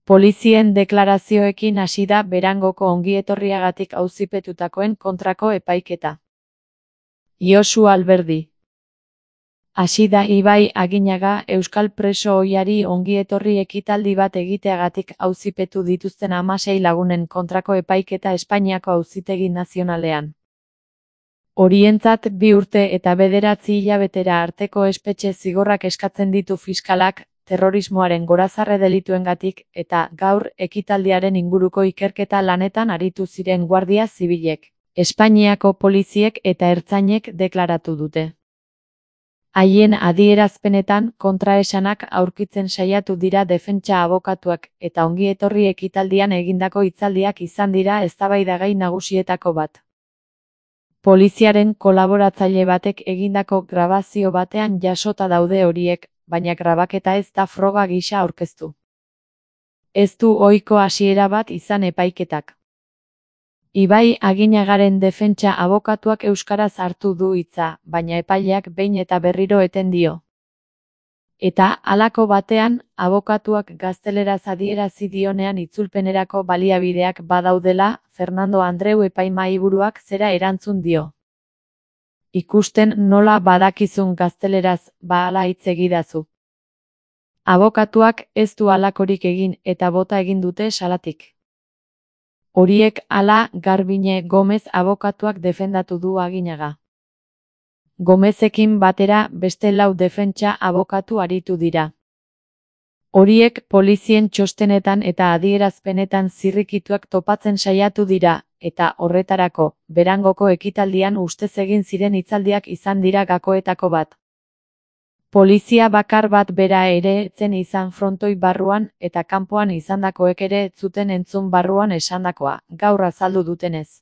Polizien deklarazioekin hasi da Berangoko ongietorriagatik auzipetutakoen kontrako epaiketa. Josu Alberdi. Hasi da Ibai Aginaga euskal preso ohiari ongietorri ekitaldi bat egiteagatik auzipetu dituzten 16 lagunen kontrako epaiketa Espainiako Auzitegi Nazionalean. Horientzat 2 urte eta 9 hilabetera arteko espetxe zigorrak eskatzen ditu fiskalak, terrorismoaren gorazarre delituengatik, eta gaur ekitaldiaren inguruko ikerketa lanetan aritu ziren guardia zibilek, Espainiako poliziek eta ertzainek deklaratu dute. Haien adierazpenetan kontraesanak aurkitzen saiatu dira defentsa abokatuak eta ongietorri ekitaldian egindako hitzaldiak izan dira eztabaidagai nagusietako bat. Poliziaren kolaboratzaile batek egindako grabazio batean jasota daude horiek, baina grabaketa ez da froga gisa aurkeztu. Ez du ohiko hasiera bat izan epaiketak. Ibai Aginagaren defentsa abokatuak euskaraz hartu du hitza, baina epaileak behin eta berriro eten dio. Eta halako batean, abokatuak gazteleraz adierazi dionean itzulpenerako baliabideak badaudela, Fernando Andreu epaimahaiburuak zera erantzun dio. Ikusten nola badakizun gazteleraz, hala hitz egidazu. Abokatuak ez du halakorik egin eta bota egin dute salatik. Horiek hala Garbine Gomez abokatuak defendatu du Aginaga. Gomezekin batera beste 4 defentsa abokatu aritu dira. Horiek polizien txostenetan eta adierazpenetan zirrikituak topatzen saiatu dira, eta horretarako, Berangoko ekitaldian ustez egin ziren hitzaldiak izan dira gakoetako bat. Polizia bakar bat bera ere etzen izan frontoi barruan eta kanpoan izandakoek ere ez zuten entzun barruan esandakoa, gaur azaldu dutenez.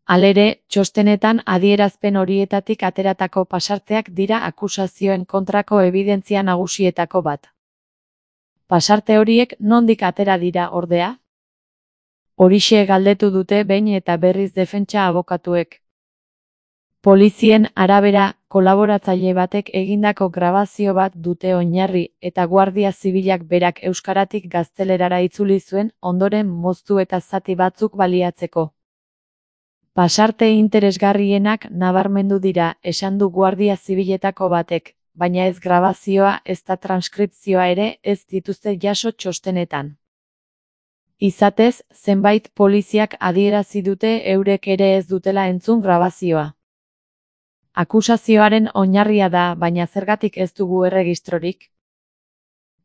Halere, txostenetan adierazpen horietatik ateratako pasarteak dira akusazioen kontrako ebidentzia nagusietako bat. Pasarte horiek nondik atera dira ordea? Horixe galdetu dute behin eta berriz defentsa abokatuek. Polizien arabera, kolaboratzaile batek egindako grabazio bat dute oinarri eta Guardia Zibilak berak euskaratik gaztelerara itzuli zuen ondoren moztu eta zati batzuk baliatzeko. Pasarte interesgarrienak nabarmendu dira, esan du Guardia Zibiletako batek, baina ez grabazioa ezta transkripzioa ere ez dituzte jaso txostenetan. Izatez, zenbait poliziak adierazi dute eurek ere ez dutela entzun grabazioa. Akusazioaren oinarria da, baina zergatik ez dugu erregistrorik?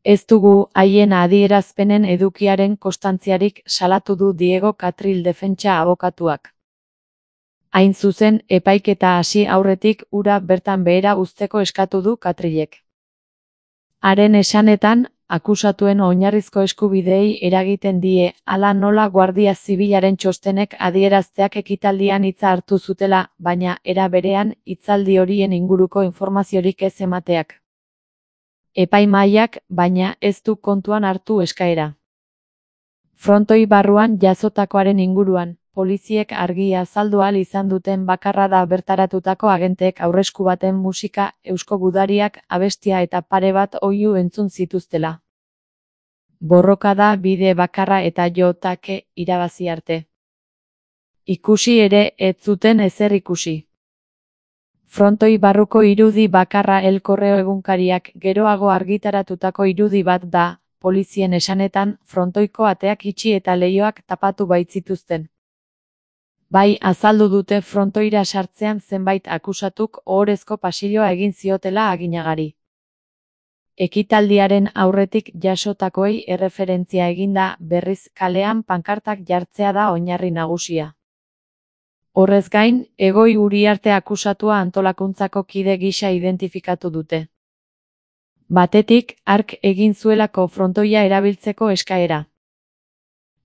Ez dugu haien adierazpenen edukiaren konstantziarik salatu du Diego Catril defentsa abokatuak. Hain zuzen, epaiketa hasi aurretik ura bertan behera uzteko eskatu du Catrilek. Haren esanetan, akusatuen oinarrizko eskubideei eragiten die, hala nola Guardia Zibilaren txostenek adierazteak ekitaldian hitza hartu zutela, baina era berean hitzaldi horien inguruko informaziorik ez emateak. Epaimahaiak, baina ez du kontuan hartu eskaera. Frontoi barruan jazotakoaren inguruan, poliziek argi azaldu ahal izan duten bakarra da bertaratutako agenteek aurresku baten musika, eusko gudariak, abestia eta pare bat oihu entzun zituztela. Borroka da bide bakarra eta jotake irabazi arte. Ikusi ere ez zuten ezer ikusi. Frontoi barruko irudi bakarra El Correo egunkariak geroago argitaratutako irudi bat da, polizien esanetan, frontoiko ateak itxi eta leihoak tapatu baitzituzten. Bai azaldu dute frontoira sartzean zenbait akusatuk ohorezko pasilloa egin ziotela Aginagari. Ekitaldiaren aurretik jasotakoei erreferentzia eginda berriz kalean pankartak jartzea da oinarri nagusia. Horrez gain, Egoi Uriarte akusatua antolakuntzako kide gisa identifikatu dute. Batetik, hark egin zuelako frontoia erabiltzeko eskaera.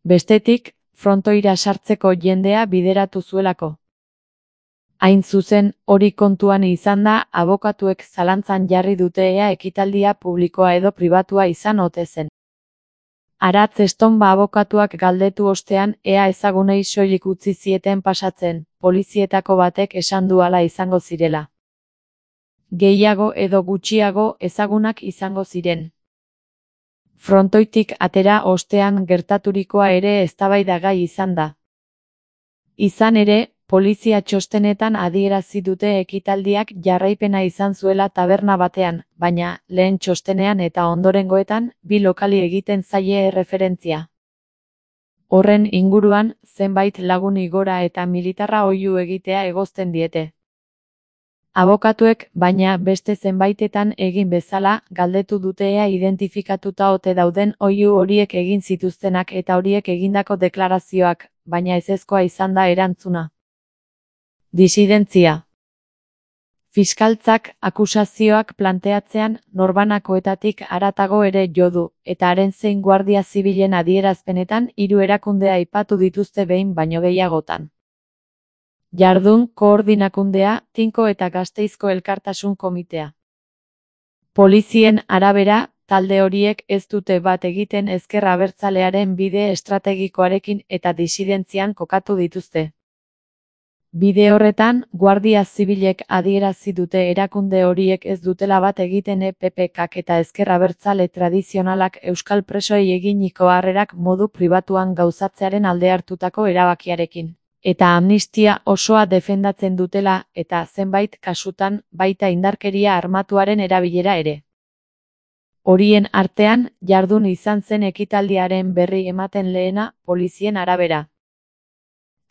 Bestetik, frontoira sartzeko jendea bideratu zuelako. Hain zuzen, hori kontuan izanda, abokatuek zalantzan jarri dute ea ekitaldia publikoa edo pribatua izan ote zen. Aratz Estonba abokatuak galdetu ostean ea ezagunei soilik utzi zieten pasatzen, polizietako batek esan du hala izango zirela. Gehiago edo gutxiago ezagunak izango ziren. Frontoitik atera ostean gertaturikoa ere eztabaidagai izan da. Izan ere, polizia txostenetan adierazi dute ekitaldiak jarraipena izan zuela taberna batean, baina, lehen txostenean eta ondorengoetan, bi lokali egiten zaie erreferentzia. Horren inguruan, zenbait lagun igora eta militarra oihu egitea egozten diete. Abokatuek, baina beste zenbaitetan egin bezala, galdetu dute ea identifikatuta ote dauden oihu horiek egin zituztenak eta horiek egindako deklarazioak, baina ezezkoa izan da erantzuna. Disidentzia. Fiskaltzak akusazioak planteatzean norbanakoetatik haratago ere jo du, eta haren zein Guardia Zibilen adierazpenetan 3 erakunde aipatu dituzte behin baino gehiagotan. Jardun Koordinakundea, Tinko eta Gasteizko Elkartasun Komitea. Polizien arabera, talde horiek ez dute bat egiten ezker abertzalearen bide estrategikoarekin eta disidentzian kokatu dituzte. Bide horretan, Guardia Zibilek adierazi dute erakunde horiek ez dutela bat egiten EPPKak eta ezker abertzale tradizionalak euskal presoei eginiko harrerak modu pribatuan gauzatzearen alde hartutako erabakiarekin. Eta amnistia osoa defendatzen dutela eta zenbait kasutan baita indarkeria armatuaren erabilera ere. Horien artean, Jardun izan zen ekitaldiaren berri ematen lehena, polizien arabera.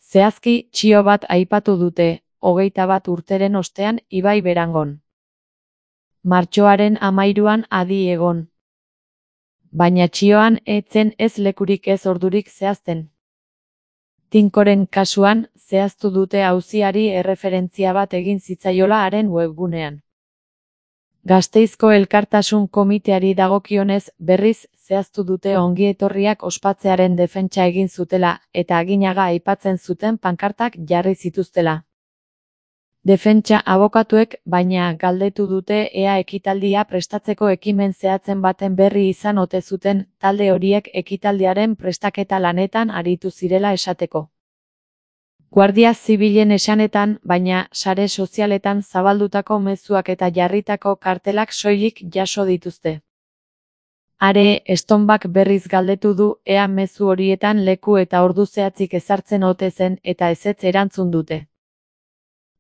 Zehazki, txio bat aipatu dute, 21 urteren ostean Ibai Berangon. Martxoaren 13an adi egon. Baina txioan etzen ez lekurik ez ordurik zehazten. Tinkoren kasuan, zehaztu dute auziari erreferentzia bat egin zitzaiola haren webgunean. Gasteizko Elkartasun Komiteari dagokionez, berriz, zehaztu dute ongietorriak ospatzearen defentsa egin zutela, eta Aginaga aipatzen zuten pankartak jarri zituztela. Defentsa abokatuek, baina galdetu dute ea ekitaldia prestatzeko ekimen zehatzen baten berri izan ote zuten, talde horiek ekitaldiaren prestaketa lanetan aritu zirela esateko. Guardia Zibilen esanetan, baina sare sozialetan zabaldutako mezuak eta jarritako kartelak soilik jaso dituzte. Are, Estonbak berriz galdetu du ea mezu horietan leku eta ordu zehatzik ezartzen ote zen eta ezetz erantzun dute.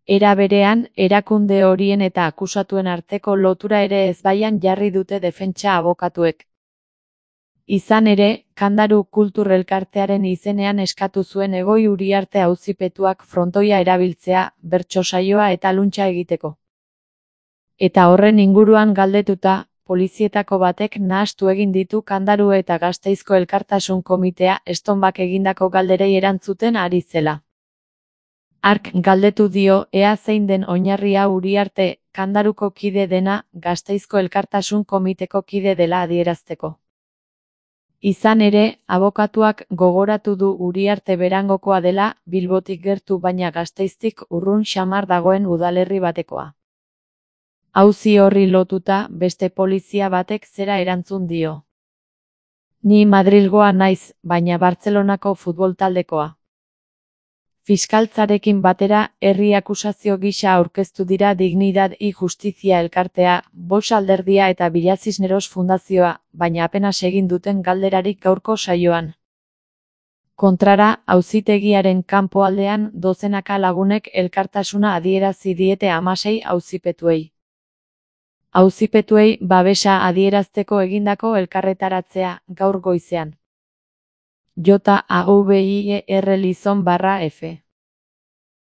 Era berean, erakunde horien eta akusatuen arteko lotura ere ezbaian jarri dute defentsa abokatuek. Izan ere, Kandaru Kultur Elkartearen izenean eskatu zuen Egoi Uriarte auzipetuak frontoia erabiltzea, bertso saioa eta luntsa egiteko. Eta horren inguruan galdetuta, polizietako batek nahastu egin ditu Kandaru eta Gasteizko Elkartasun Komitea Estonbak egindako galderei erantzuten ari zela. Hark galdetu dio ea zein den oinarria Uriarte, Kandaruko kide dena, Gasteizko Elkartasun Komiteko kide dela adierazteko. Izan ere, abokatuak gogoratu du Uriarte Berangokoa dela, Bilbotik gertu baina Gasteiztik urrun xamar dagoen udalerri batekoa. Auzi horri lotuta, beste polizia batek zera erantzun dio. Ni Madrilgoa naiz, baina Bartzelonako futbol taldekoa. Fiskaltzarekin batera, herri akusazio gisa aurkeztu dira Dignidad y Justizia elkartea, Vox alderdia eta Villa Cisneros fundazioa, baina apenas egin duten galderarik gaurko saioan. Kontrara, auzitegiaren kanpoaldean dozenaka lagunek elkartasuna adierazi diete 16 auzipetuei. Auzipetuei babesa adierazteko egindako elkarretaratzea, gaur goizean. JAVIER Lizon /F